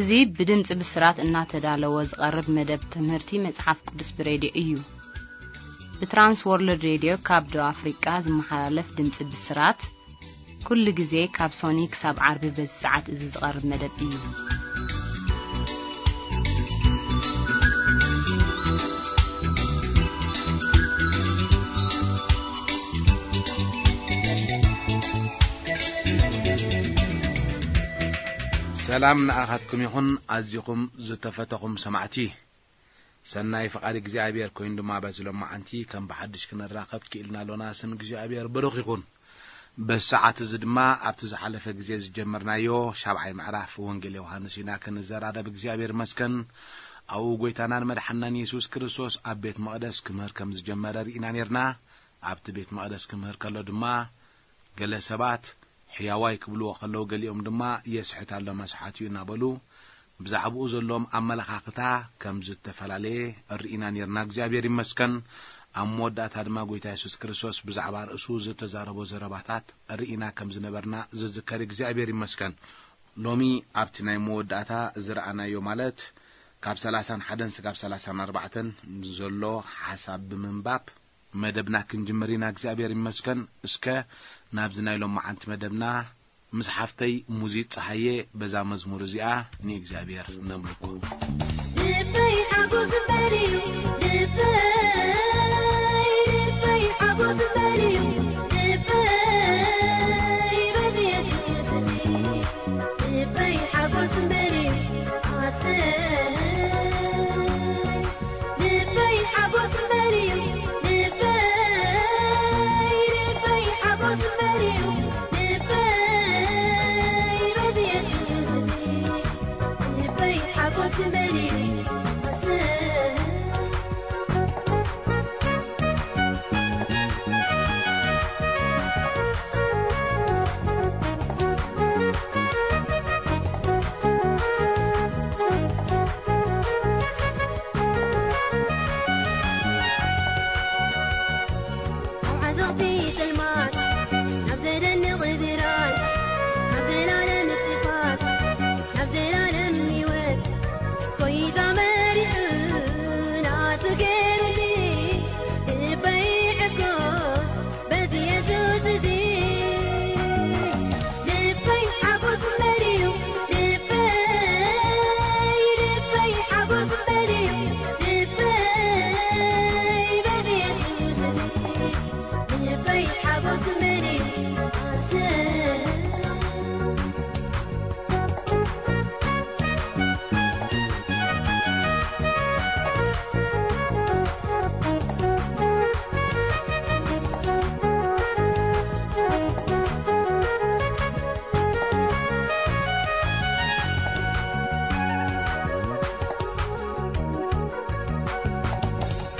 እዚ ብድምጺ ብስራት እናተዳለወ ዝቐርብ መደብ ትምህርቲ መጽሓፍ ቅዱስ ብሬድዮ እዩ። ብትራንስ ወርልድ ሬድዮ ካብ ደቡብ ኣፍሪቃ ዝመሓላለፍ ድምጺ ብስራት፣ ኩሉ ግዜ ካብ ሶኒ ክሳብ ዓርቢ በዚ ሰዓት እዚ ዝቐርብ መደብ እዩ። ሰላም ንኣኻትኩም ይኹን፣ ኣዚኹም ዝተፈተኹም ሰማዕቲ። ሰናይ ፍቓድ እግዚኣብሔር ኮይኑ ድማ በዚ ሎማዓንቲ ከም ብሓድሽ ክንራኸብ ክኢልና ኣሎና። ስም እግዚኣብሔር ብሩኽ ይኹን። በዚ ሰዓት እዚ ድማ ኣብቲ ዝሓለፈ ግዜ ዝጀመርናዮ ሻብዓይ ምዕራፍ ወንጌል ዮሃንስ ኢና ክንዘራረብ። እግዚኣብሔር ይመስገን። ኣብኡ ጐይታናን መድሓናን የሱስ ክርስቶስ ኣብ ቤት መቕደስ ክምህር ከም ዝጀመረ ርኢና ኔርና። ኣብቲ ቤት መቕደስ ክምህር ከሎ ድማ ገለ ሰባት ሕያዋይ ክብልዎ ከለዉ፣ ገሊኦም ድማ የስሕት ኣሎ መስሓት እዩ እናበሉ ብዛዕባኡ ዘለዎም ኣመለኻኽታ ከም ዝተፈላለየ ርኢና ኔርና። እግዚኣብሔር ይመስገን። ኣብ መወዳእታ ድማ ጐይታ የሱስ ክርስቶስ ብዛዕባ ርእሱ ዝተዛረቦ ዘረባታት ርኢና ከም ዝነበርና ዝዝከር። እግዚኣብሔር ይመስገን። ሎሚ ኣብቲ ናይ መወዳእታ ዝረኣናዮ፣ ማለት ካብ ሰላሳን ሓደን ስጋብ ሰላሳን ኣርባዕተን ዘሎ ሓሳብ ብምንባብ መደብና ክንጅምር ኢና። እግዚኣብሔር ይመስገን። እስከ ናብዚ ናይ ሎማዓንቲ መደብና ምስ ሓፍተይ ሙዚት ጸሃየ በዛ መዝሙር እዚኣ ንእግዚኣብሔር ነምልኮ። ልበይ ሓጎስ እምበር እዩ፣ ልበይ፣ ልበይ ሓጎስ እምበር እዩ፣ ልበይ በዚ የሱስ እዚ። ልበይ ሓጎስ እምበር እዩ፣ ኣሰይ። ልበይ ሓጎስ እምበር እዩ፣ ልበይ፣ ልበይ ሓጎስ እምበር እዩ፣ ልበይ በዚ የሱስ እዚ። ልበይ ሓጎስ እምበር እዩ፣ ኣሰይ። ኣብ ዓዘቕቲ ጸልማት፣ ናብ ዘደንቕ ብርሃን፣ ናብ ዘላለም ጽፋት፣ ናብ ዘላለም ህይወት፣ ጎይታ መሪሑ ናቱ ገይሩኒ፣ ልበይ ሕጎስ በዚ የሱስ እዚ። ልበይ ሓጎስ እምበር እዩ፣ ልበይ፣ ልበይ ሓጎስ እምበር እዩ፣ ልበይ በዚ የሱስ እዚ። ልበይ ሓጎስ እምበር እዩ፣ ኣሰይ።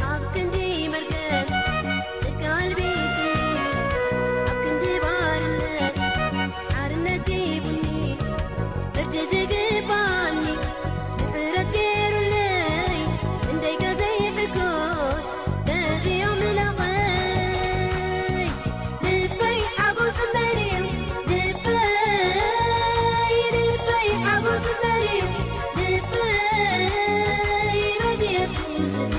ኣብ ክንዲ መርገም ጽድቂ ኣልቢሱኒ፣ ኣብ ክንዲ ባርነት ሓርነት ሂቡኒ፣ ፍርዲ ዝግባኒ ምሕረት ገይሩለይ፣ እንደይ ከዘይሕጎስ በዚ ኣምላኸይ። ልበይ ሓጎስ እምበር እዩ፣ ልበይ፣ ልበይ ሓጎስ እምበር እዩ፣ ልበይ በዚ የሱስ እዚ።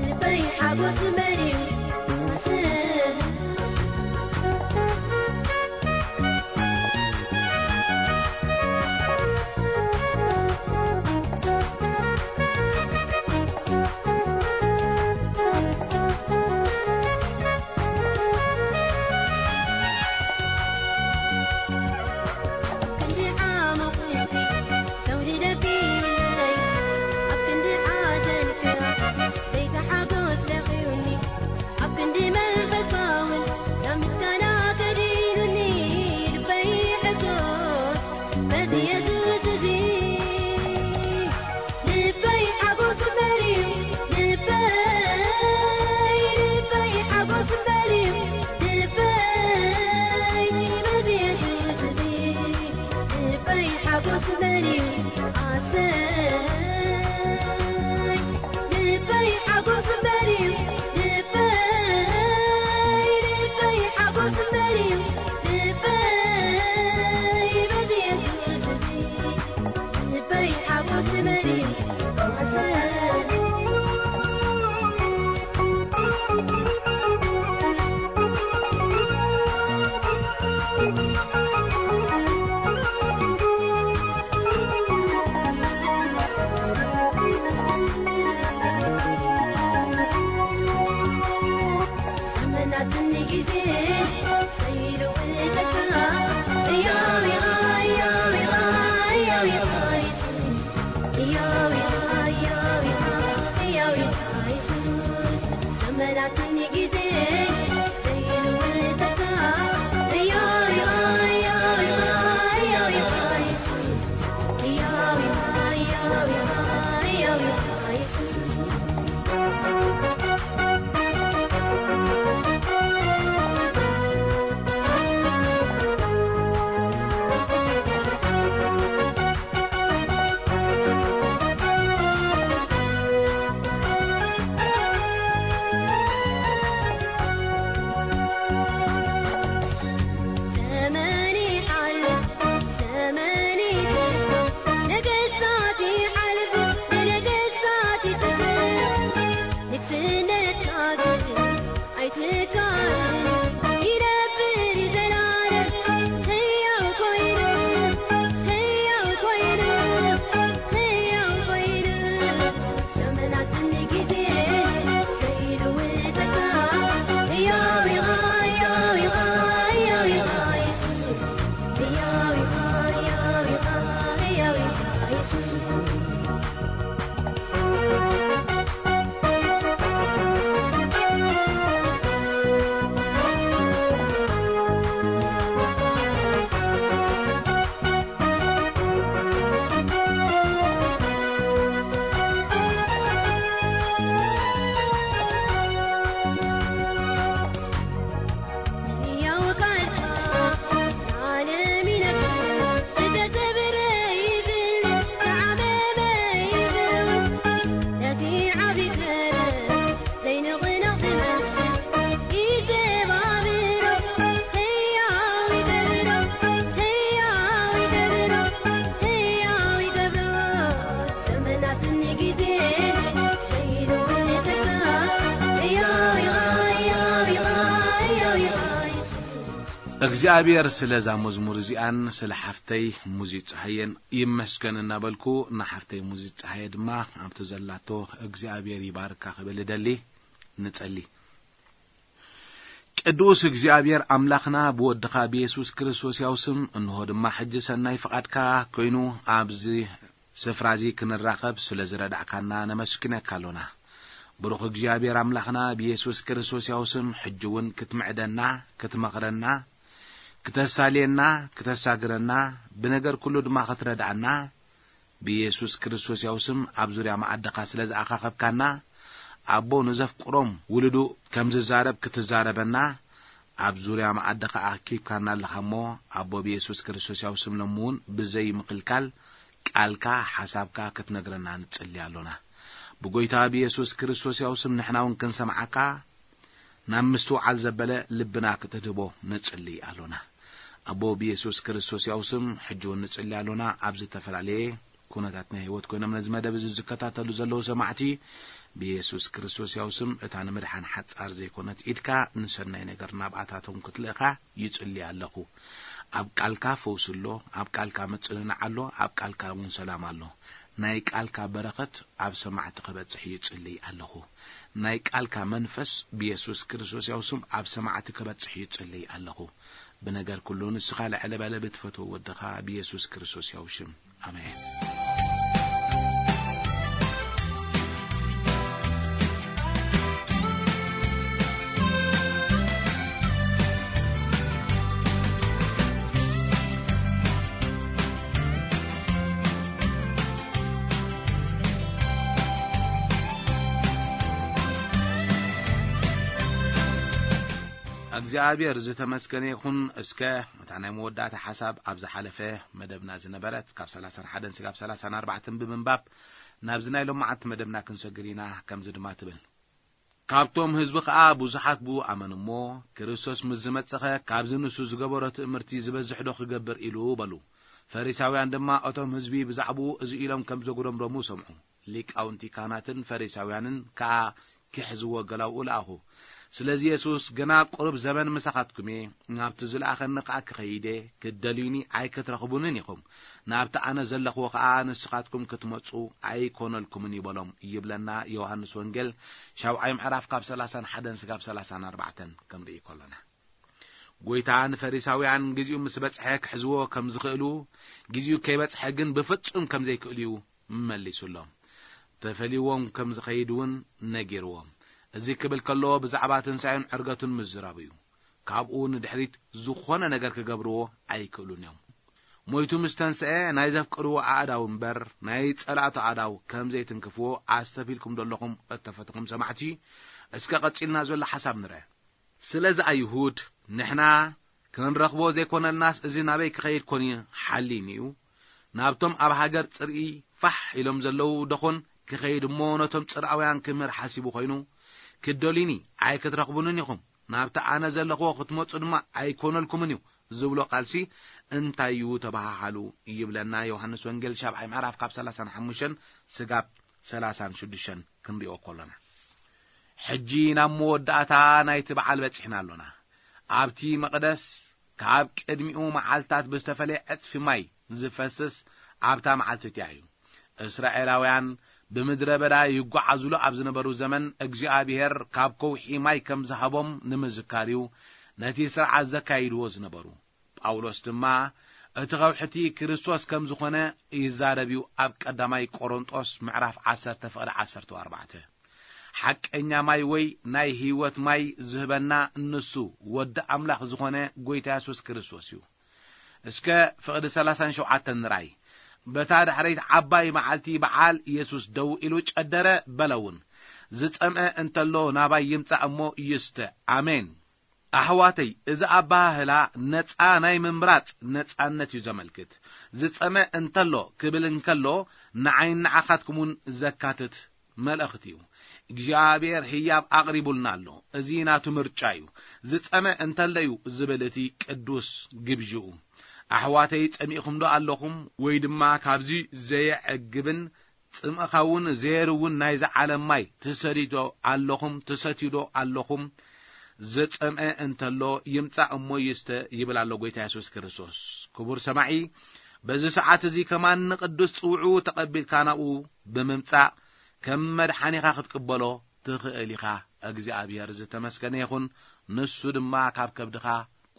ልበይ ሓጎስ እምበር እዩ፣ ኣሰይ። ክንዲ ዓመቑ ሰው ዝደፊኡለይ፣ ኣብ ክንዲ ሓዘን ክኣ ዘይተሓጎስ ለቒዩኒ፣ ኣብ ክንዲ መንፈስ ፋውን ናብ ምስጋና ከዲኑኒ፣ ልበይ ሕጎስ በዚ የሱስ እዚ። ልበይ ሓጎስ እምበር እዩ፣ ልበይ፣ ልበይ ሓጎስ እምበር እዩ፣ ልበይ በዚ የሱስ እዚ። ልበይ ሓጎስ እምበር እዩ፣ ኣሰይ። ልበይ ሓጎስ እምበር እዩ፣ ልበይ፣ ልበይ ሓጎስ እምበር እዩ፣ ልበይ በዚ የሱስ እዚ። እግዚኣብሔር ስለዛ መዝሙር እዚኣን ስለ ሓፍተይ ሙዚት ፀሃየን ይመስገን እናበልኩ፣ ንሓፍተይ ሙዚት ፀሃየ ድማ ኣብቲ ዘላቶ እግዚኣብሔር ይባርካ ክብል እደሊ። ንጸሊ። ቅዱስ እግዚኣብሔር ኣምላኽና፣ ብወድኻ ብየሱስ ክርስቶስ ያው ስም፣ እንሆ ድማ ሕጂ ሰናይ ፍቓድካ ኮይኑ ኣብዚ ስፍራ እዚ ክንራኸብ ስለ ዝረዳእካና ነመስግነካ ኣሎና። ብሩኽ እግዚኣብሔር ኣምላኽና፣ ብየሱስ ክርስቶስ ያው ስም ሕጂ እውን ክትምዕደና፣ ክትመኽረና፣ ክተሳልየና፣ ክተሳግረና፣ ብነገር ኩሉ ድማ ክትረድኣና፣ ብየሱስ ክርስቶስ ያው ስም ኣብ ዙርያ መኣድኻ ስለ ዝኣኻኸብካና፣ ኣቦ ንዘፍቅሮም ውሉዱ ከም ዝዛረብ ክትዛረበና፣ ኣብ ዙርያ መኣድኻ ኣኪብካና ኣለኻ እሞ፣ ኣቦ ብየሱስ ክርስቶስ ያው ስም ሎሚ እውን ብዘይ ምክልካል ቃልካ፣ ሓሳብካ ክትነግረና ንጽሊ ኣሎና። ብጎይታ ብየሱስ ክርስቶስ ያው ስም ንሕና እውን ክንሰምዓካ፣ ናብ ምስትውዓል ዘበለ ልብና ክትድህቦ ንጽሊ ኣሎና። ኣቦ ብየሱስ ክርስቶስ ያው ስም ሕጂ እውን ንጽሊ ኣሎና። ኣብ ዝተፈላለየ ኩነታት ናይ ህይወት ኮይኖም ነዚ መደብ እዚ ዝከታተሉ ዘለዉ ሰማዕቲ፣ ብየሱስ ክርስቶስ ያው ስም እታ ንምድሓን ሓጻር ዘይኮነት ኢድካ ንሰናይ ነገር ናብኣታቶም ክትልእኻ ይጽሊ ኣለኹ። ኣብ ቃልካ ፈውሲ ኣሎ፣ ኣብ ቃልካ ምጽንናዕ ኣሎ፣ ኣብ ቃልካ እውን ሰላም ኣሎ። ናይ ቃልካ በረኸት ኣብ ሰማዕቲ ክበጽሕ ይጽልይ ኣለኹ። ናይ ቃልካ መንፈስ ብየሱስ ክርስቶስ ያው ስም ኣብ ሰማዕቲ ክበጽሕ ይጽልይ ኣለኹ። ብነገር ኩሉ ንስኻ ልዕሊ በለ ብትፈትዎ ወድኻ ብየሱስ ክርስቶስ ያው ሽም። ኣሜን። እግዚኣብሔር ዝተመስገነ ይኹን። እስከ እታ ናይ መወዳእታ ሓሳብ ኣብ ዝሓለፈ መደብና ዝነበረት ካብ ሰላሳን ሓደን ስጋብ ሰላሳን ኣርባዕተን ብምንባብ ናብዚ ናይ ሎማዓንቲ መደብና ክንሰግር ኢና። ከምዚ ድማ ትብል። ካብቶም ህዝቢ ኸኣ ብዙሓት ብኡ ኣመኑ እሞ፣ ክርስቶስ ምስ ዝመጸኸ ካብዚ ንሱ ዝገበሮ ትእምርቲ ዝበዝሕ ዶ ክገብር ኢሉ በሉ። ፈሪሳውያን ድማ እቶም ህዝቢ ብዛዕባኡ እዚ ኢሎም ከም ዘጉረምረሙ ሰምዑ። ሊቃውንቲ ካህናትን ፈሪሳውያንን ከኣ ክሕዝዎ ገላውኡ ለኣኹ። ስለዚ የሱስ፣ ገና ቁሩብ ዘመን ምሳኻትኩም እየ፣ ናብቲ ዝለኣኸኒ ከኣ ክኸይድ እየ፣ ክትደልዩኒ ኣይክትረኽቡንን ኢኹም፣ ናብቲ ኣነ ዘለኽዎ ከኣ ንስኻትኩም ክትመጹ ኣይኮነልኩምን እዩ በሎም። ይብለና ዮሃንስ ወንጌል ሻብዓይ ምዕራፍ ካብ ሰላሳን ሓደን ስጋብ ሰላሳን ኣርባዕተን ክንርኢ ከሎና። ጎይታ ንፈሪሳውያን ግዜኡ ምስ በጽሐ ክሕዝዎ ከም ዝኽእሉ፣ ግዜኡ ከይበጽሐ ግን ብፍጹም ከም ዘይክእሉ እዩ መሊሱሎም። ተፈልይዎም ከም ዝኸይድ እውን ነጊርዎም። እዚ ክብል ከሎ ብዛዕባ ትንሳኤን ዕርገቱን ምዝራቡ እዩ። ካብኡ ንድሕሪት ዝኾነ ነገር ክገብርዎ ኣይክእሉን እዮም። ሞይቱ ምስ ተንስአ ናይ ዘፍቅርዎ ኣእዳው እምበር ናይ ጸላእቱ ኣእዳው ከም ዘይትንክፍዎ ኣስተብሂልኩም ዶ ኣለኹም? እተፈትኹም ሰማዕቲ፣ እስከ ቀጺልና ዘሎ ሓሳብ ንርአ። ስለዚ ኣይሁድ ንሕና ክንረኽቦ ዘይኮነልናስ እዚ ናበይ ክኸይድ ኮን እዩ ሓሊኑ እዩ? ናብቶም ኣብ ሃገር ጽርኢ ፋሕ ኢሎም ዘለዉ ደኾን ክኸይድ እሞ ነቶም ጽርኣውያን ክምህር ሓሲቡ ኮይኑ? ክትደልዩኒ ኣይክትረኽቡንን ኢኹም፣ ናብቲ ኣነ ዘለኽዎ ክትመጹ ድማ ኣይኮነልኩምን እዩ ዝብሎ ቃልሲ እንታይ እዩ ተበሃሃሉ? ይብለና ዮሃንስ ወንጌል ሻብዓይ ምዕራፍ ካብ ሰላሳን ሓሙሽተን ስጋብ ሰላሳን ሽዱሽተን ክንሪኦ ከሎና። ሕጂ ናብ መወዳእታ ናይቲ በዓል በጺሕና ኣሎና። ኣብቲ መቕደስ ካብ ቅድሚኡ መዓልታት ብዝተፈለየ ዕጽፊ ማይ ዝፈስስ ኣብታ መዓልቲ እቲኣ እዩ። እስራኤላውያን ብምድረ በዳ ይጓዓዙሉ ኣብ ዝነበሩ ዘመን እግዚኣብሔር ካብ ከውሒ ማይ ከም ዝሃቦም ንምዝካር እዩ ነቲ ስርዓት ዘካይድዎ ዝነበሩ። ጳውሎስ ድማ እቲ ከውሒ እቲ ክርስቶስ ከም ዝኾነ ይዛረብ እዩ ኣብ ቀዳማይ ቆሮንጦስ ምዕራፍ ዓሰርተ ፍቕዲ ዓሰርተ ኣርባዕተ። ሓቀኛ ማይ ወይ ናይ ህይወት ማይ ዝህበና ንሱ ወዲ ኣምላኽ ዝኾነ ጎይታ የሱስ ክርስቶስ እዩ። እስከ ፍቕዲ ሰላሳን ሸውዓተን ንርኣይ። በታ ዳሕረይት ዓባይ መዓልቲ በዓል የሱስ ደው ኢሉ ጨደረ በለ እውን፣ ዝጸምአ እንተሎ ናባይ ይምጻእ እሞ ይስተ። ኣሜን። ኣሕዋተይ፣ እዚ ኣበሃህላ ነጻ ናይ ምምራጽ ነጻነት እዩ ዘመልክት። ዝጸመ እንተሎ ክብል እንከሎ፣ ንዓይን ንዓኻትኩምን ዘካትት መልእኽቲ እዩ። እግዚኣብሔር ህያብ ኣቕሪቡልና ኣሎ። እዚ ናቱ ምርጫ እዩ። ዝጸመ እንተሎ እዩ ዝብል እቲ ቅዱስ ግብዥኡ። ኣሕዋተይ፣ ጸሚእኹም ዶ ኣለኹም? ወይ ድማ ካብዚ ዘየዕግብን ጽምእኻ እውን ዘየርውን ናይዚ ዓለም ማይ ትሰድዩ ዶ ኣለኹም? ትሰትዩ ዶ ኣለኹም? ዝጸምአ እንተሎ ይምጻእ እሞ ይስተ ይብል ኣሎ ጎይታ የሱስ ክርስቶስ። ክቡር ሰማዒ፣ በዚ ሰዓት እዚ ከማን ንቅዱስ ጽውዑ ተቐቢልካ ናብኡ ብምምጻእ ከም መድሓኒኻ ክትቅበሎ ትኽእል ኢኻ። እግዚኣብሔር ዝተመስገነ ይኹን። ንሱ ድማ ካብ ከብድኻ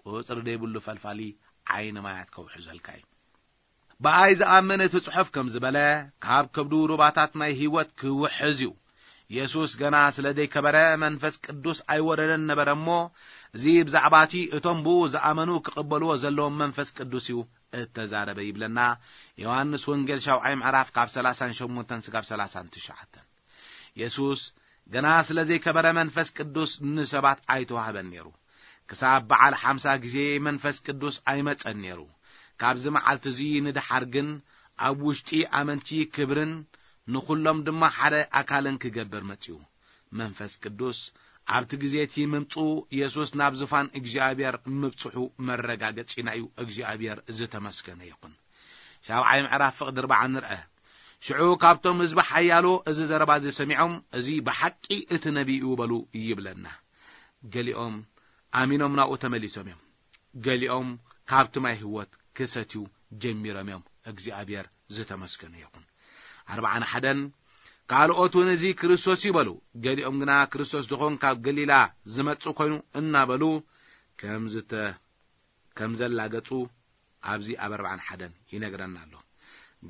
ቁጽሪ ዘይብሉ ፈልፋሊ ዓይኒ ማያት ከውሕዘልካ እዩ። ብኣይ ዝኣምን እቲ ጽሑፍ ከም ዝበለ ካብ ከብዱ ሩባታት ናይ ህይወት ክውሕዝ እዩ። የሱስ ገና ስለ ዘይከበረ መንፈስ ቅዱስ ኣይወረደን ነበረ እሞ፣ እዚ ብዛዕባ እቲ እቶም ብኡ ዝኣመኑ ክቕበልዎ ዘለዎም መንፈስ ቅዱስ እዩ እተዛረበ ይብለና። ዮሃንስ ወንጌል ሻውዓይ ምዕራፍ ካብ ሰላሳን ሸሞንተን ስጋብ ሰላሳን ትሽዓተን። የሱስ ገና ስለ ዘይከበረ መንፈስ ቅዱስ ንሰባት ኣይተዋህበን ነይሩ። ክሳብ በዓል ሓምሳ ግዜ መንፈስ ቅዱስ ኣይመጸን ነይሩ። ካብዚ መዓልቲ እዚ ንደሓር ግን ኣብ ውሽጢ ኣመንቲ ክብርን ንኹሎም ድማ ሓደ ኣካልን ክገብር መጺኡ። መንፈስ ቅዱስ ኣብቲ ግዜ እቲ ምምጽኡ የሱስ ናብ ዙፋን እግዚኣብሔር ምብጽሑ መረጋገጺና እዩ። እግዚኣብሔር ዝተመስገነ ይኹን። ሻብዓይ ምዕራፍ ፍቕዲ ኣርብዓ ንርአ። ሽዑ ካብቶም ህዝቢ ሓያሎ እዚ ዘረባ እዚ ሰሚዖም፣ "እዚ ብሓቂ እቲ ነቢይ እዩ" በሉ ይብለና። ገሊኦም ኣሚኖም ናብኡ ተመሊሶም እዮም። ገሊኦም ካብቲ ማይ ህይወት ክሰትዩ ጀሚሮም እዮም። እግዚኣብሔር ዝተመስገነ ይኹን። ኣርብዓን ሓደን፣ ካልኦት እውን እዚ ክርስቶስ እዩ በሉ። ገሊኦም ግና ክርስቶስ ድኾን ካብ ገሊላ ዝመጽእ ኮይኑ እናበሉ ከም ዝተ-፣ ከም ዘላገጹ ኣብዚ ኣብ ኣርብዓን ሓደን ይነግረና ኣሎ።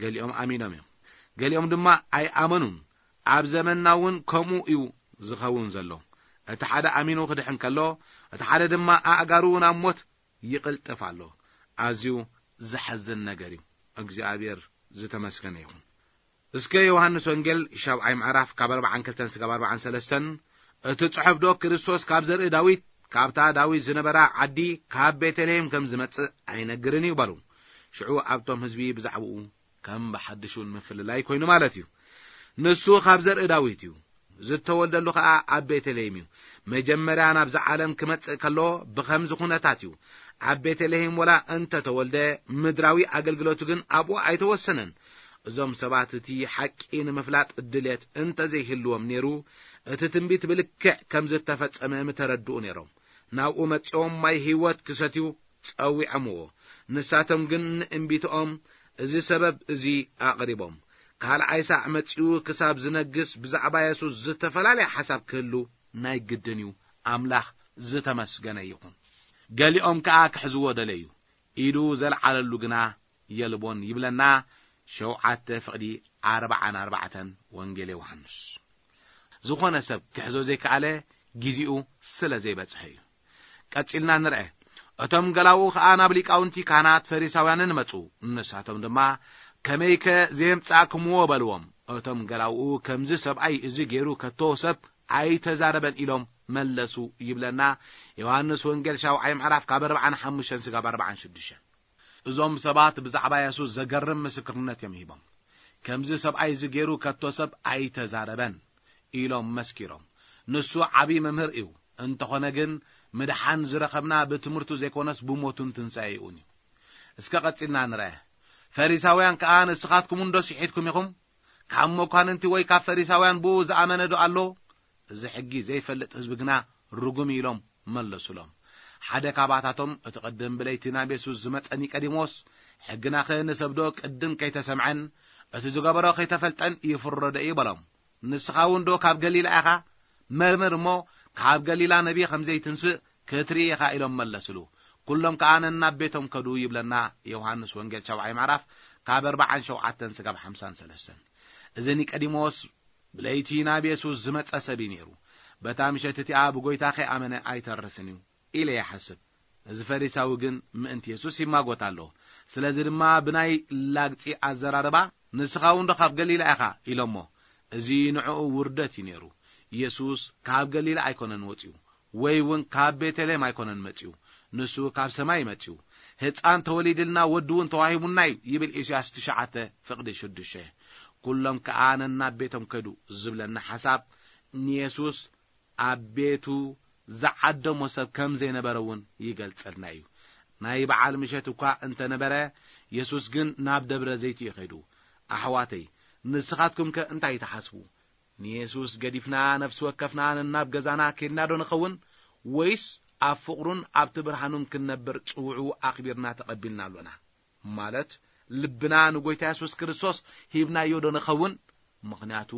ገሊኦም ኣሚኖም እዮም፣ ገሊኦም ድማ ኣይኣመኑን። ኣብ ዘመንና እውን ከምኡ እዩ ዝኸውን ዘሎ። እቲ ሓደ ኣሚኑ ክድሕን ከሎ፣ እቲ ሓደ ድማ ኣእጋሩ ናብ ሞት ይቕልጥፍ ኣሎ። ኣዝዩ ዘሐዝን ነገር እዩ። እግዚኣብሔር ዝተመስገነ ይኹን። እስከ ዮሃንስ ወንጌል ሻብዓይ ምዕራፍ ካብ ኣርብዓን ክልተን ስጋብ ኣርብዓን ሰለስተን፣ "እቲ ጽሑፍ ዶ ክርስቶስ ካብ ዘርኢ ዳዊት፣ ካብታ ዳዊት ዝነበራ ዓዲ፣ ካብ ቤተልሔም ከም ዝመጽእ ኣይነግርን እዩ?" በሉ። ሽዑ ኣብቶም ህዝቢ ብዛዕባኡ ከም ብሓድሽ እውን ምፍልላይ ኮይኑ ማለት እዩ። ንሱ ካብ ዘርኢ ዳዊት እዩ፣ ዝተወልደሉ ኸኣ ኣብ ቤተልሔም እዩ። መጀመርያ ናብዛ ዓለም ክመጽእ ከሎ ብኸምዚ ኩነታት እዩ። ኣብ ቤተልሔም ወላ እንተተወልደ፣ ምድራዊ ኣገልግሎቱ ግን ኣብኡ ኣይተወሰነን። እዞም ሰባት እቲ ሓቂ ንምፍላጥ ድልየት እንተዘይህልዎም ነይሩ፣ እቲ ትንቢት ብልክዕ ከም ዝተፈጸመ ምተረድኡ ነይሮም። ናብኡ መጺኦም ማይ ህይወት ክሰትዩ ጸዊዖምዎ። ንሳቶም ግን ንእምቢትኦም እዚ ሰበብ እዚ ኣቕሪቦም። ካልኣይ ሳዕ መጺኡ ክሳብ ዝነግስ ብዛዕባ የሱስ ዝተፈላለየ ሓሳብ ክህሉ ናይ ግድን እዩ። ኣምላኽ ዝተመስገነ ይኹን። ገሊኦም ከኣ ክሕዝዎ ደለዩ። ኢዱ ዘልዓለሉ ግና የልቦን ይብለና። ሸውዓተ ፍቕዲ ኣርብዓን ኣርባዕተን ወንጌል ዮሃንስ። ዝኾነ ሰብ ክሕዞ ዘይከኣለ ግዜኡ ስለ ዘይበጽሐ እዩ። ቀጺልና ንርአ። እቶም ገላውኡ ኸኣ ናብ ሊቃውንቲ ካህናት ፈሪሳውያንን መጹ። ንሳቶም ድማ፣ "ከመይከ ዘየምጻእክምዎ?" በልዎም። እቶም ገላውኡ፣ "ከምዚ ሰብኣይ እዚ ገይሩ ከቶ ሰብ ኣይተዛረበን" ኢሎም መለሱ ይብለና። ዮሃንስ ወንጌል ሻውዓይ ምዕራፍ ካብ ኣርብዓን ሓሙሽተን ስጋብ ኣርብዓን ሽዱሽተን። እዞም ሰባት ብዛዕባ የሱስ ዘገርም ምስክርነት እዮም ሂቦም። "ከምዚ ሰብኣይ እዚ ገይሩ ከቶ ሰብ ኣይተዛረበን" ኢሎም መስኪሮም። ንሱ ዓብዪ መምህር እዩ። እንተኾነ ግን ምድሓን ዝረኸብና ብትምህርቱ ዘይኮነስ ብሞቱን ትንሳኤኡን እዩ። እስከ ቀጺልና ንርአ። ፈሪሳውያን ከኣ፣ "ንስኻትኩም እንዶ ስሒትኩም ኢኹም? ካብ መኳንንቲ ወይ ካብ ፈሪሳውያን ብኡ ዝኣመነ ዶ ኣሎ? እዚ ሕጊ ዘይፈልጥ ህዝቢ ግና ርጉም" ኢሎም መለሱሎም። ሓደ ካባታቶም፣ እቲ ቅድም ብለይቲ ናብ የሱስ ዝመጸ ኒቀዲሞስ፣ "ሕግናኸ ንሰብዶ ቅድም ከይተሰምዐን እቲ ዝገበሮ ከይተፈልጠን ይፍረዶ እዩ?" በሎም። "ንስኻ እውን ዶ ካብ ገሊላ ኢኻ? መርምር እሞ ካብ ገሊላ ነቢይ ከም ዘይትንስእ ክትርኢ ኢኻ" ኢሎም መለስሉ። ኩሎም ከኣ ነናብ ቤቶም ከዱ ይብለና ዮሃንስ ወንጌል ሻብዓይ ምዕራፍ ካብ ኣርብዓን ሸውዓተን ስጋብ ሓምሳን ሰለስተን። እዚ ኒቀዲሞስ ብለይቲ ናብ የሱስ ዝመጸ ሰብ እዩ ነይሩ። "በታ ምሸት እቲኣ ብጎይታ ከይኣመነ ኣይተርፍን እዩ" ኢለ ይሓስብ። እዚ ፈሪሳዊ ግን ምእንቲ የሱስ ይማጎት ኣሎ። ስለዚ ድማ ብናይ ላግጺ ኣዘራርባ፣ "ንስኻ እውን ዶ ካብ ገሊላ ኢኻ?" ኢሎሞ። እዚ ንዕኡ ውርደት እዩ ነይሩ። የሱስ ካብ ገሊላ ኣይኮነን ወጺኡ፣ ወይ እውን ካብ ቤተልሔም ኣይኮነን መጺኡ። ንሱ ካብ ሰማይ እዩ መጺኡ። "ህጻን ተወሊድልና፣ ወዲ እውን ተዋሂቡና እዩ" ይብል ኢሳያስ ትሽዓተ ፍቕዲ ሽዱሽተ። ኩሎም ከኣ ነናብ ቤቶም ከዱ ዝብለና ሓሳብ ንየሱስ ኣብ ቤቱ ዝዓደሞ ሰብ ከም ዘይነበረ እውን ይገልጸልና እዩ። ናይ በዓል ምሸት እኳ እንተነበረ፣ የሱስ ግን ናብ ደብረ ዘይት እዩ ከይዱ። ኣሕዋተይ፣ ንስኻትኩምከ እንታይ ትሓስቡ? ንየሱስ ገዲፍና ነፍሲ ወከፍና ነናብ ገዛና ኬድና ዶ ንኸውን? ወይስ ኣብ ፍቕሩን ኣብቲ ብርሃኑን ክንነብር ጽውዑ ኣኽቢርና ተቐቢልና ኣሎና? ማለት ልብና ንጎይታ የሱስ ክርስቶስ ሂብናዮ ዶ ንኸውን? ምኽንያቱ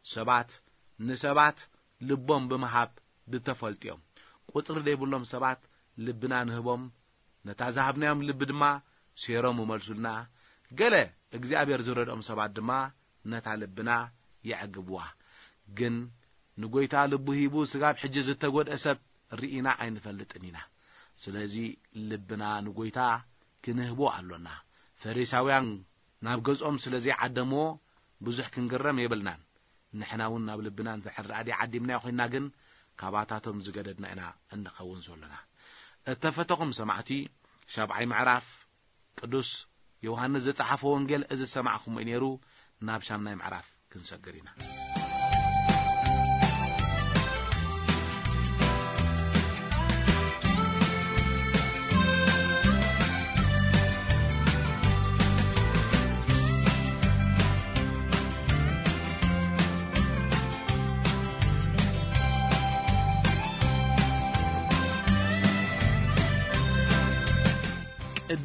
ሰባት ንሰባት ልቦም ብምሃብ ዝተፈልጡ እዮም። ቁጽሪ ዘይብሎም ሰባት ልብና ንህቦም፣ ነታ ዝሃብናዮም ልቢ ድማ ሴሮም ይመልሱልና። ገለ እግዚኣብሔር ዝረድኦም ሰባት ድማ ነታ ልብና የዕግብዋ። ግን ንጎይታ ልቡ ሂቡ ስጋብ ሕጂ ዝተጎድአ ሰብ ርኢና ኣይንፈልጥን ኢና። ስለዚ ልብና ንጎይታ ክንህቦ ኣሎና። ፈሪሳውያን ናብ ገዝኦም ስለ ዘይዓደምዎ ብዙሕ ክንግረም የብልናን። ንሕና እውን ናብ ልብና እንድሕር ደኣ ዓዲምናዮ ኮይንና ግን፣ ካባታቶም ዝገደድና ኢና እንኸውን ዘሎና። እተፈተኹም ሰማዕቲ፣ ሻብዓይ ምዕራፍ ቅዱስ ዮሃንስ ዝጸሓፎ ወንጌል እዚ ዝሰማዕኹሞ እዩ ነይሩ። ናብ ሻምናይ ምዕራፍ ክንሰግር ኢና።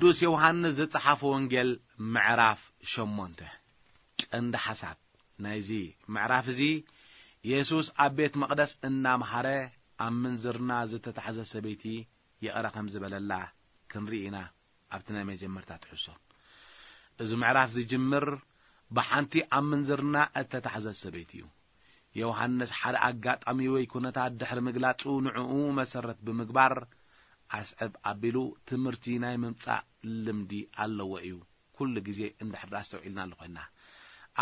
ቅዱስ ዮሃንስ ዝጸሓፎ ወንጌል ምዕራፍ ሸሞንተ። ቀንዲ ሓሳብ ናይዚ ምዕራፍ እዚ፣ የሱስ ኣብ ቤት መቕደስ እናምሃረ ኣብ ምንዝርና ዝተታሕዘ ሰበይቲ ይቕረ ከም ዝበለላ ክንርኢ ኢና። ኣብቲ ናይ መጀመርታ ትሕዝቶ፣ እዚ ምዕራፍ ዝጅምር ብሓንቲ ኣብ ምንዝርና እተታሕዘት ሰበይቲ እዩ። ዮሃንስ ሓደ ኣጋጣሚ ወይ ኩነታት ድሕሪ ምግላጹ፣ ንዕኡ መሰረት ብምግባር፣ ኣስዕብ ኣቢሉ ትምህርቲ ናይ ምምጻእ ልምዲ ኣለዎ እዩ። ኩሉ ግዜ እንድሕር ደኣ ኣስተውዒልና ኣሎ ኮይንና፣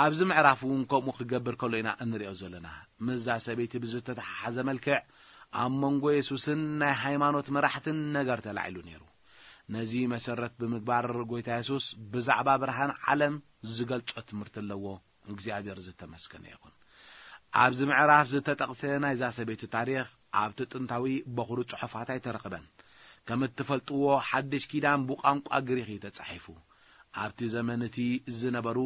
ኣብዚ ምዕራፍ እውን ከምኡ ክገብር ከሎ ኢና እንሪኦ ዘለና። ምስዛ ሰበይቲ ብዝተተሓሓዘ መልክዕ፣ ኣብ መንጎ የሱስን ናይ ሃይማኖት መራሕትን ነገር ተላዒሉ ነይሩ። ነዚ መሰረት ብምግባር፣ ጎይታ የሱስ ብዛዕባ ብርሃን ዓለም ዝገልጾ ትምህርቲ ኣለዎ። እግዚኣብሔር ዝተመስገነ ይኹን። ኣብዚ ምዕራፍ ዝተጠቕሰ ናይዛ ሰበይቲ ታሪኽ ኣብቲ ጥንታዊ በኹሪ ጽሑፋት ኣይተረኽበን። ከም እትፈልጥዎ፣ ሓድሽ ኪዳን ብቋንቋ ግሪኽ እዩ ተጻሒፉ። ኣብቲ ዘመን እቲ ዝነበሩ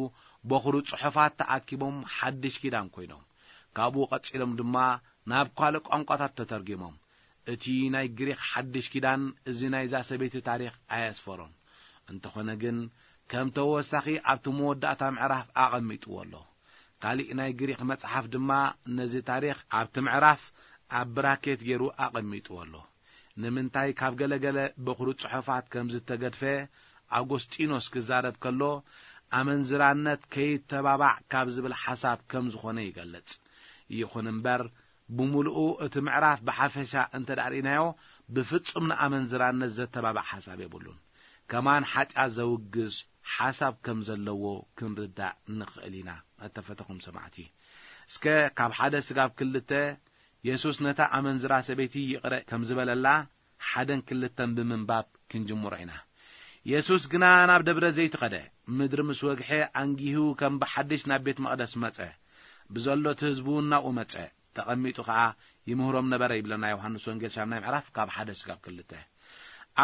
በኹሪ ጽሑፋት ተኣኪቦም ሓድሽ ኪዳን ኮይኖም፣ ካብኡ ቀጺሎም ድማ ናብ ካልእ ቋንቋታት ተተርጊሞም። እቲ ናይ ግሪኽ ሓድሽ ኪዳን እዚ ናይዛ ሰበይቲ ታሪኽ ኣየስፈሮን። እንተኾነ ግን፣ ከም ተወሳኺ ኣብቲ መወዳእታ ምዕራፍ ኣቐሚጥዎ ኣሎ። ካሊእ ናይ ግሪኽ መጽሓፍ ድማ ነዚ ታሪኽ ኣብቲ ምዕራፍ ኣብ ብራኬት ገይሩ ኣቐሚጥዎ ኣሎ። ንምንታይ ካብ ገለገለ በኹሪ ጽሑፋት ከም ዝተገድፈ ኣጎስጢኖስ ክዛረብ ከሎ፣ ኣመንዝራነት ከይተባባዕ ካብ ዝብል ሓሳብ ከም ዝኾነ ይገልጽ። ይኹን እምበር፣ ብምሉኡ እቲ ምዕራፍ ብሓፈሻ እንተ ደኣ ርኢናዮ፣ ብፍጹም ንኣመንዝራነት ዘተባባዕ ሓሳብ የብሉን። ከማን ሓጢኣት ዘውግዝ ሓሳብ ከም ዘለዎ ክንርዳእ ንኽእል ኢና። እተፈተኹም ሰማዕቲ፣ እስከ ካብ ሓደ ስጋብ ክልተ፣ የሱስ ነታ ኣመንዝራ ሰበይቲ ይቕረ ከም ዝበለላ፣ ሓደን ክልተን ብምንባብ ክንጅምሮ ኢና። የሱስ ግና ናብ ደብረ ዘይት ኸደ። ምድሪ ምስ ወግሐ፣ ኣንጊሁ ከም ብሓድሽ ናብ ቤት መቕደስ መጸ። ብዘሎ እቲ ህዝቢ እውን ናብኡ መጸ። ተቐሚጡ ኸኣ ይምህሮም ነበረ፣ ይብለና ዮሃንስ ወንጌል ሻምናይ ምዕራፍ ካብ ሓደ ስጋብ ክልተ።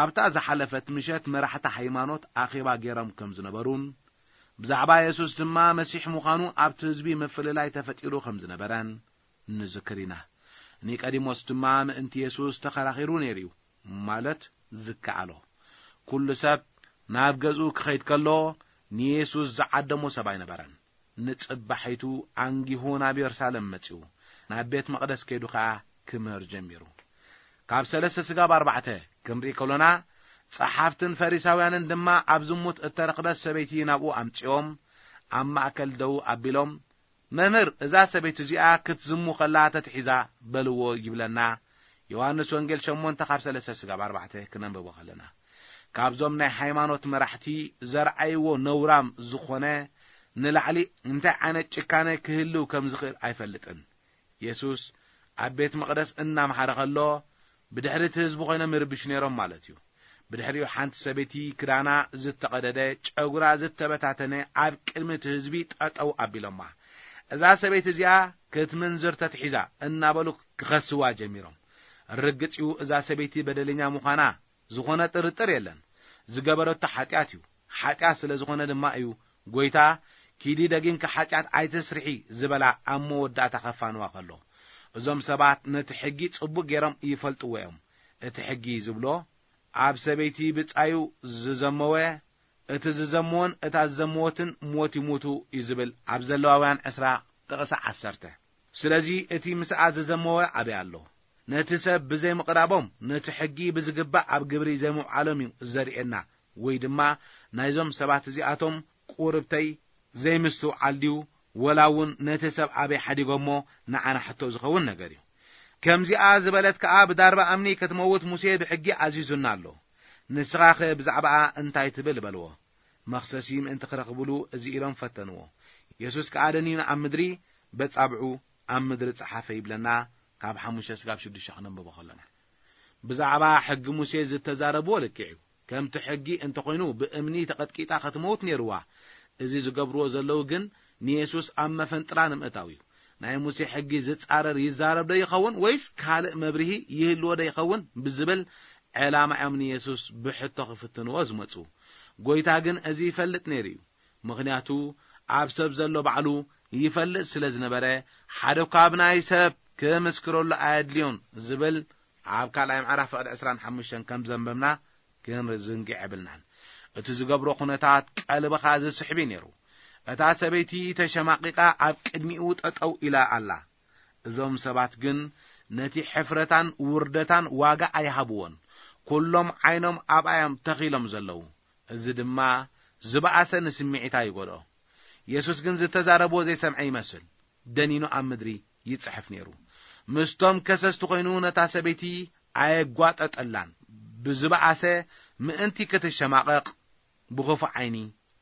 ኣብታ ዝሓለፈት ምሸት መራሕቲ ሃይማኖት ኣኼባ ገይሮም ከም ዝነበሩን፣ ብዛዕባ የሱስ ድማ መሲሕ ምዃኑ ኣብቲ ህዝቢ ምፍልላይ ተፈጢሩ ከም ዝነበረን ንዝክር ኢና። ኒቆዲሞስ ድማ ምእንቲ የሱስ ተኸራኺሩ ነይሩ እዩ፣ ማለት ዝከኣሎ። ኩሉ ሰብ ናብ ገዝኡ ክኸይድ ከሎ፣ ንየሱስ ዝዓደሞ ሰብ ኣይነበረን። ንጽባሒቱ ኣንጊሁ ናብ የሩሳሌም መጺኡ፣ ናብ ቤት መቕደስ ከይዱ ኸኣ ክምህር ጀሚሩ። ካብ ሰለስተ ስጋብ ኣርባዕተ ክንርኢ ከሎና፣ ጸሓፍትን ፈሪሳውያንን ድማ ኣብ ዝሙት እተረኽበት ሰበይቲ ናብኡ ኣምጺኦም፣ ኣብ ማእከል ደው ኣቢሎም፣ "መምህር፣ እዛ ሰበይቲ እዚኣ ክትዝሙ ከላ ተትሒዛ" በልዎ ይብለና። ዮሃንስ ወንጌል ሸሞንተ ካብ ሰለስተ ስጋብ ኣርባዕተ ክነንብቦ ከለና፣ ካብዞም ናይ ሃይማኖት መራሕቲ ዘርኣይዎ ነውራም ዝኾነ ንላዕሊ እንታይ ዓይነት ጭካነ ክህልው ከም ዝኽእል ኣይፈልጥን። የሱስ ኣብ ቤት መቕደስ እናምሓረ ከሎ፣ ብድሕሪ እቲ ህዝቢ ኮይኖም ይርብሹ ነይሮም ማለት እዩ። ብድሕሪኡ ሓንቲ ሰበይቲ ክዳና ዝተቐደደ፣ ጨጉራ ዝተበታተነ ኣብ ቅድሚ እቲ ህዝቢ ጠጠው ኣቢሎማ። "እዛ ሰበይቲ እዚኣ ክትምንዝር ተትሒዛ" እናበሉ ክኸስዋ ጀሚሮም። ርግጽ እዩ፣ እዛ ሰበይቲ በደለኛ ምዃና ዝኾነ ጥርጥር የለን። ዝገበረቶ ሓጢኣት እዩ። ሓጢኣት ስለ ዝኾነ ድማ እዩ ጎይታ፣ "ኪዲ ደጊምኪ ሓጢኣት ኣይትስርሒ" ዝበላ ኣብ መወዳእታ ከፋንዋ ከሎ። እዞም ሰባት ነቲ ሕጊ ጽቡቕ ገይሮም ይፈልጥዎ እዮም። እቲ ሕጊ ዝብሎ፣ ኣብ ሰበይቲ ብጻዩ ዝዘመወ፣ እቲ ዝዘመወን እታ ዝዘመወትን ሞት ይሙቱ እዩ ዝብል ኣብ ዘለዋውያን ዕስራ ጥቕሲ ዓሰርተ። ስለዚ እቲ ምስኣ ዝዘመወ ኣበይ ኣሎ? ነቲ ሰብ ብዘይምቕራቦም ነቲ ሕጊ ብዝግባእ ኣብ ግብሪ ዘይምውዓሎም እዩ ዘርእየና። ወይ ድማ ናይዞም ሰባት እዚኣቶም ቁርብተይ ዘይምስትውዓል ድዩ? ወላ እውን ነቲ ሰብ ኣበይ ሓዲጎሞ ንዓና ሕቶ ዝኸውን ነገር እዩ። ከምዚኣ ዝበለት ከኣ ብዳርባ እምኒ ክትመውት ሙሴ ብሕጊ ኣዚዙና ኣሎ። ንስኻኸ ብዛዕባኣ እንታይ ትብል? በልዎ። መኽሰሲ ምእንቲ ክረኽብሉ እዚ ኢሎም ፈተንዎ። የሱስ ከኣ ደኒኑ ኣብ ምድሪ በጻብዑ ኣብ ምድሪ ጸሓፈ ይብለና። ካብ ሓሙሽተ ስጋብ ሽዱሽተ ክነንብቦ ከለና ብዛዕባ ሕጊ ሙሴ ዝተዛረብዎ ልክዕ እዩ። ከምቲ ሕጊ እንተኾይኑ ብእምኒ ተቐጥቂጣ ክትመውት ነይርዋ። እዚ ዝገብርዎ ዘለዉ ግን ንየሱስ ኣብ መፈንጥራ ንምእታው እዩ። ናይ ሙሴ ሕጊ ዝጻረር ይዛረብ ዶ ይኸውን ወይስ ካልእ መብርሂ ይህልዎ ዶ ይኸውን ብዝብል ዕላማ እዮም ንየሱስ ብሕቶ ክፍትንዎ ዝመጹ። ጎይታ ግን እዚ ይፈልጥ ነይሩ እዩ። ምኽንያቱ ኣብ ሰብ ዘሎ ባዕሉ ይፈልጥ ስለ ዝነበረ፣ ሓደ እኳ ብናይ ሰብ ክምስክረሉ ኣየድልዮን ዝብል ኣብ ካልኣይ ምዕራፍ ፍቕዲ ዕስራን ሓሙሽተን ከም ዘንበብና ክንዝንግዕ የብልናን። እቲ ዝገብሮ ኩነታት ቀልብኻ ዝስሕብ እዩ ነይሩ። እታ ሰበይቲ ተሸማቒቓ ኣብ ቅድሚኡ ጠጠው ኢላ ኣላ። እዞም ሰባት ግን ነቲ ሕፍረታን ውርደታን ዋጋ ኣይሃብዎን። ኩሎም ዓይኖም ኣብኣ እዮም ተኺሎም ዘለዉ። እዚ ድማ ዝበኣሰ ንስምዒታ ይጎድኦ። የሱስ ግን ዝተዛረብዎ ዘይሰምዐ ይመስል። ደኒኑ ኣብ ምድሪ ይጽሕፍ ነይሩ። ምስቶም ከሰስቲ ኮይኑ ነታ ሰበይቲ ኣየጓጠጠላን። ብዝበኣሰ ምእንቲ ክትሸማቐቕ ብኽፉእ ዓይኒ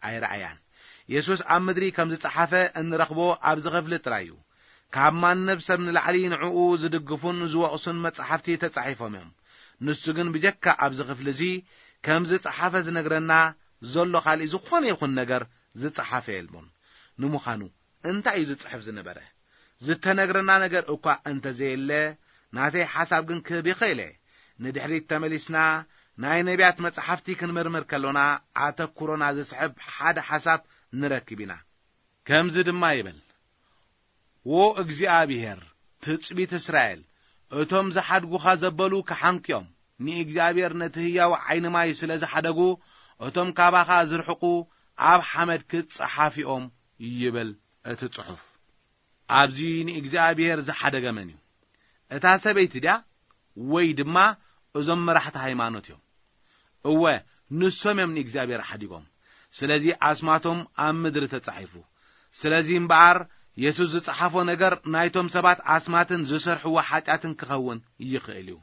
ኣይረኣያን። የሱስ ኣብ ምድሪ ከም ዝጸሓፈ እንረኽቦ ኣብዚ ክፍሊ ጥራይ እዩ። ካብ ማንም ሰብ ንላዕሊ ንዕኡ ዝድግፉን ዝወቕሱን መጻሕፍቲ ተጻሒፎም እዮም። ንሱ ግን ብጀካ ኣብዚ ክፍሊ እዚ ከም ዝጸሓፈ ዝነግረና ዘሎ ካልእ ዝኾነ ይኹን ነገር ዝጸሓፈ የልቦን። ንምዃኑ እንታይ እዩ ዝጽሕፍ ዝነበረ? ዝተነግረና ነገር እኳ እንተዘየለ፣ ናተይ ሓሳብ ግን ክህብ ይኽእል እየ። ንድሕሪት ተመሊስና ናይ ነቢያት መጻሕፍቲ ክንምርምር ከሎና፣ ኣተኩሮና ዝስሕብ ሓደ ሓሳብ ንረክብ ኢና። ከምዚ ድማ ይብል፣ "ዎ እግዚኣብሔር፣ ትጽቢት እስራኤል፣ እቶም ዝሓድጉኻ ዘበሉ ክሓንክዮም፣ ንእግዚኣብሔር ነቲ ህያው ዓይኒ ማይ ስለ ዝሓደጉ፣ እቶም ካባኻ ዝርሕቁ ኣብ ሓመድ ክጸሓፊኦም" ይብል እቲ ጽሑፍ። ኣብዚ ንእግዚኣብሔር ዝሓደገ መን እዩ? እታ ሰበይቲ ድያ? ወይ ድማ እዞም መራሕቲ ሃይማኖት እዮም? እወ፣ ንሶም እዮም ንእግዚኣብሔር ሓዲጎም። ስለዚ ኣስማቶም ኣብ ምድሪ ተጻሒፉ። ስለዚ እምበኣር፣ የሱስ ዝጸሓፎ ነገር ናይቶም ሰባት ኣስማትን ዝሰርሕዎ ሓጢኣትን ክኸውን ይኽእል እዩ።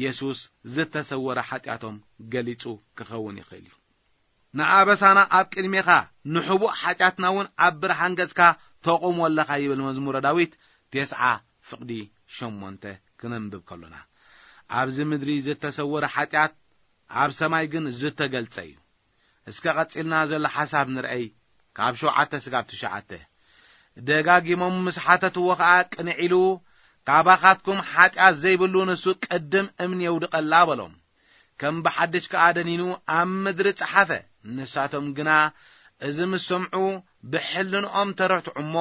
የሱስ ዝተሰወረ ሓጢኣቶም ገሊጹ ክኸውን ይኽእል እዩ። "ንኣበሳና ኣብ ቅድሜኻ፣ ንሕቡእ ሓጢኣትና እውን ኣብ ብርሃን ገጽካ ተቑሞ ኣለኻ" ይብል መዝሙረ ዳዊት ተስዓ ፍቕዲ ሸሞንተ ክነንብብ ከሎና። ኣብዚ ምድሪ ዝተሰወረ ሓጢኣት ኣብ ሰማይ ግን ዝተገልጸ እዩ። እስከ ቀጺልና ዘሎ ሓሳብ ንርኣይ፣ ካብ ሸውዓተ ስጋብ ትሽዓተ። "ደጋጊሞም ምስ ሓተትዎ ኸኣ ቅንዕ ኢሉ፣ ካባኻትኩም ሓጢኣት ዘይብሉ ንሱ ቅድም እምኒ የውድቐላ" በሎም። ከም ብሓድሽ ከኣ ደኒኑ ኣብ ምድሪ ጸሓፈ። ንሳቶም ግና እዚ ምስ ሰምዑ ብሕልንኦም ተረትዑ እሞ፣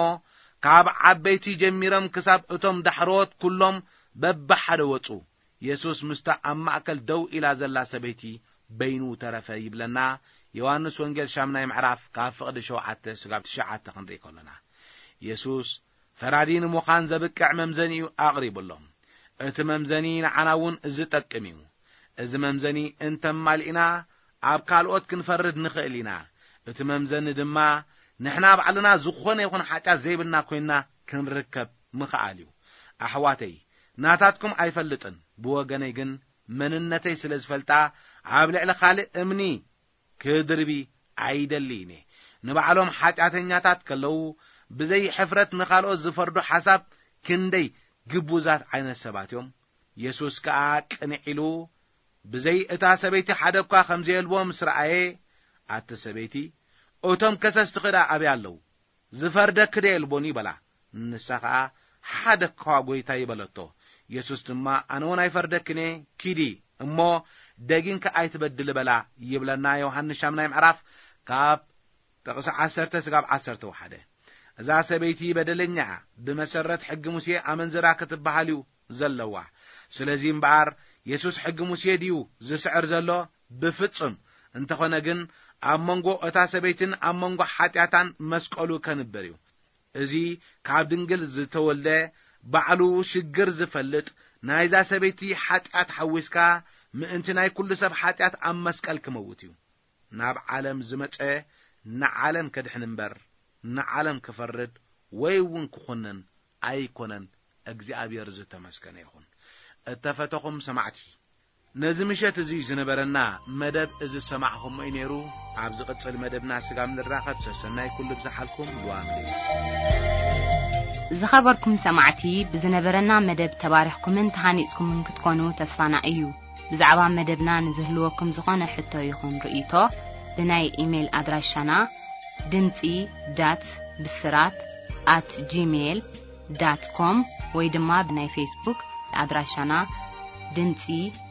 ካብ ዓበይቲ ጀሚሮም ክሳብ እቶም ዳሕሮት ኩሎም በብሓደ ወጹ። የሱስ ምስታ ኣብ ማእከል ደው ኢላ ዘላ ሰበይቲ በይኑ ተረፈ ይብለና። ዮሃንስ ወንጌል ሻምናይ ምዕራፍ ካብ ፍቕዲ ሸውዓተ ስጋብ ትሽዓተ ክንርኢ ከሎና፣ የሱስ ፈራዲ ንምዃን ዘብቅዕ መምዘኒ'ዩ ኣቕሪቡሎም። እቲ መምዘኒ ንዓና እውን ዝጠቅም እዩ። እዚ መምዘኒ እንተማሊእና፣ ኣብ ካልኦት ክንፈርድ ንኽእል ኢና። እቲ መምዘኒ ድማ ንሕና ባዕልና ዝኾነ ይኹን ሓጢኣት ዘይብልና ኮይንና ክንርከብ ምኽኣል እዩ። ኣሕዋተይ፣ ናታትኩም ኣይፈልጥን፣ ብወገነይ ግን መንነተይ ስለ ዝፈልጣ፣ ኣብ ልዕሊ ካልእ እምኒ ክድርቢ ኣይደልይን እየ። ንባዕሎም ሓጢኣተኛታት ከለዉ፣ ብዘይ ሕፍረት ንኻልኦት ዝፈርዱ ሓሳብ ክንደይ ግቡዛት ዓይነት ሰባት እዮም። የሱስ ከኣ ቅንዕ ኢሉ፣ ብዘይ እታ ሰበይቲ ሓደ እኳ ከም ዘየልቦ ምስ ረኣየ፣ "ኣቲ ሰበይቲ፣ እቶም ከሰስትኺ ደኣ ኣበይ ኣለዉ? ዝፈርደኪ ዶ የልቦን?" በላ። ንሳ ኸኣ፣ "ሓደ እኳ ጐይታይ" በለቶ። የሱስ ድማ፣ "ኣነ እውን ኣይፈርደክን እየ፣ ኪዲ እሞ ደጊምኪ ኣይትበድሊ" በላ ይብለና ዮሃንስ ሻምናይ ምዕራፍ ካብ ጥቕሲ ዓሰርተ ስጋብ ዓሰርተ ወሓደ። እዛ ሰበይቲ በደለኛ እያ፣ ብመሰረት ሕጊ ሙሴ ኣመንዝራ ክትበሃል እዩ ዘለዋ። ስለዚ እምበኣር፣ የሱስ ሕጊ ሙሴ ድዩ ዝስዕር ዘሎ? ብፍጹም። እንተኾነ ግን፣ ኣብ መንጎ እታ ሰበይትን ኣብ መንጎ ሓጢኣታን መስቀሉ ከንብር እዩ። እዚ ካብ ድንግል ዝተወልደ፣ ባዕሉ ሽግር ዝፈልጥ፣ ናይዛ ሰበይቲ ሓጢኣት ሓዊስካ፣ ምእንቲ ናይ ኩሉ ሰብ ሓጢኣት ኣብ መስቀል ክመውት እዩ። ናብ ዓለም ዝመጸ ንዓለም ከድሕን እምበር፣ ንዓለም ክፈርድ ወይ እውን ክኹንን ኣይኮነን። እግዚኣብሔር ዝተመስገነ ይኹን። እተፈተኹም ሰማዕቲ፣ ነዚ ምሸት እዚ ዝነበረና መደብ እዚ ዝሰማዕኹሞ እዩ ነይሩ። ኣብ ዝቕጽል መደብና ስጋብ ንራኸብ፣ ሰሰናይ ኩሉ ብዝሓልኩም። ልዋም እዩ። ዝኸበርኩም ሰማዕቲ፣ ብዝነበረና መደብ ተባሪኽኩምን ተሃኒጽኩምን ክትኮኑ ተስፋና እዩ። ብዛዕባ መደብና ንዝህልወኩም ዝኾነ ሕቶ ይኹን ርእይቶ፣ ብናይ ኢሜይል ኣድራሻና ድምጺ ዳት ብስራት ኣት ጂሜይል ዳት ኮም ወይ ድማ ብናይ ፌስቡክ ኣድራሻና ድምጺ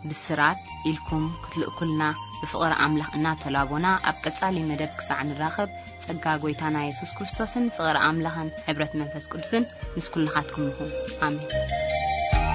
ብስራት ኢልኩም ክትልእኩልና ብፍቕሪ ኣምላኽ እናተላቦና፣ ኣብ ቀጻሊ መደብ ክሳዕ ንራኸብ፣ ጸጋ ጐይታና የሱስ ክርስቶስን ፍቕሪ ኣምላኽን ሕብረት መንፈስ ቅዱስን ምስ ኩልኻትኩም ይኹን። ኣሜን።